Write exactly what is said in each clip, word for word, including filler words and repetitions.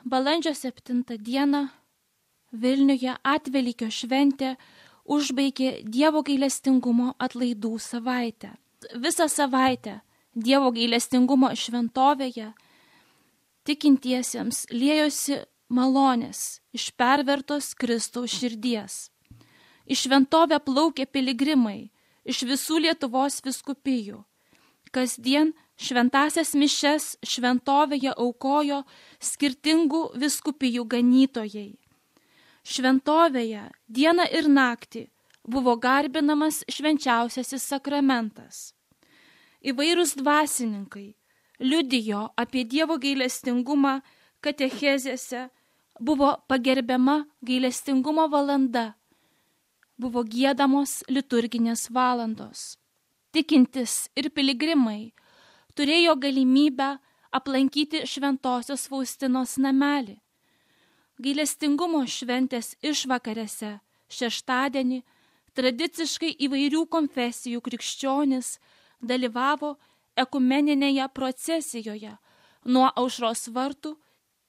balandžio septintą dieną Vilniuje Atvelykio šventė užbaigė Dievo gailestingumo atlaidų savaitę. Visą savaitę Dievo gailestingumo šventovėje tikintiesiems liejosi malonės iš pervertos Kristaus širdies. Į šventovę plaukė piligrimai iš visų Lietuvos vyskupijų. Kasdien šventasias mišes šventovėje aukojo skirtingų vyskupijų ganytojai. Šventovėje dieną ir naktį buvo garbinamas švenčiausiasis sakramentas. Įvairūs dvasininkai liudijo apie Dievo gailestingumą katechezėse, buvo pagerbiama gailestingumo valanda, buvo giedamos liturginės valandos. Tikintis ir piligrimai turėjo galimybę aplankyti Šventosios Faustinos namelį. Gailestingumo šventės išvakarėse šeštadienį tradiciškai įvairių konfesijų krikščionys dalyvavo ekumeninėje procesijoje nuo Aušros vartų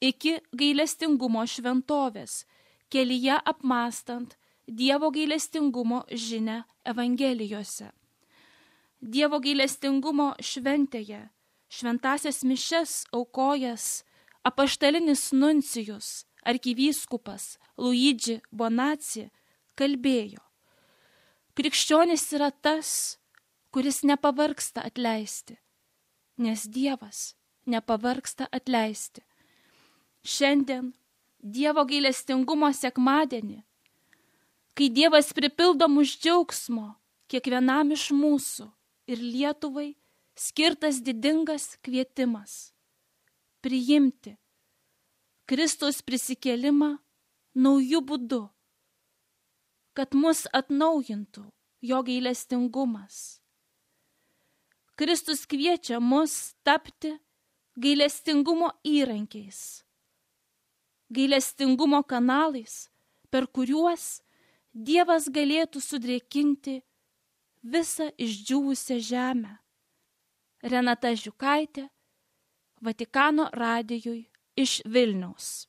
iki gailestingumo šventovės, kelyje apmąstant Dievo gailestingumo žinią Evangelijose. Dievo gailestingumo šventėje šventasias mišes aukojęs apaštalinis nuncijus arkivyskupas Luigi Bonaci kalbėjo: krikščionis yra tas, kuris nepavargsta atleisti, nes Dievas nepavargsta atleisti. Šiandien Dievo gailestingumo sekmadienį, kai Dievas pripildo mus džiaugsmo kiekvienam iš mūsų ir Lietuvai skirtas didingas kvietimas priimti Kristaus prisikėlimą naujų būdų, kad mus atnaujintų jo gailestingumas. Kristus kviečia mus tapti gailestingumo įrankiais, gailestingumo kanalais, per kuriuos Dievas galėtų sudrėkinti visą išdžiūvusią žemę. Renata Žiukaitė, Vatikano radijui iš Vilniaus.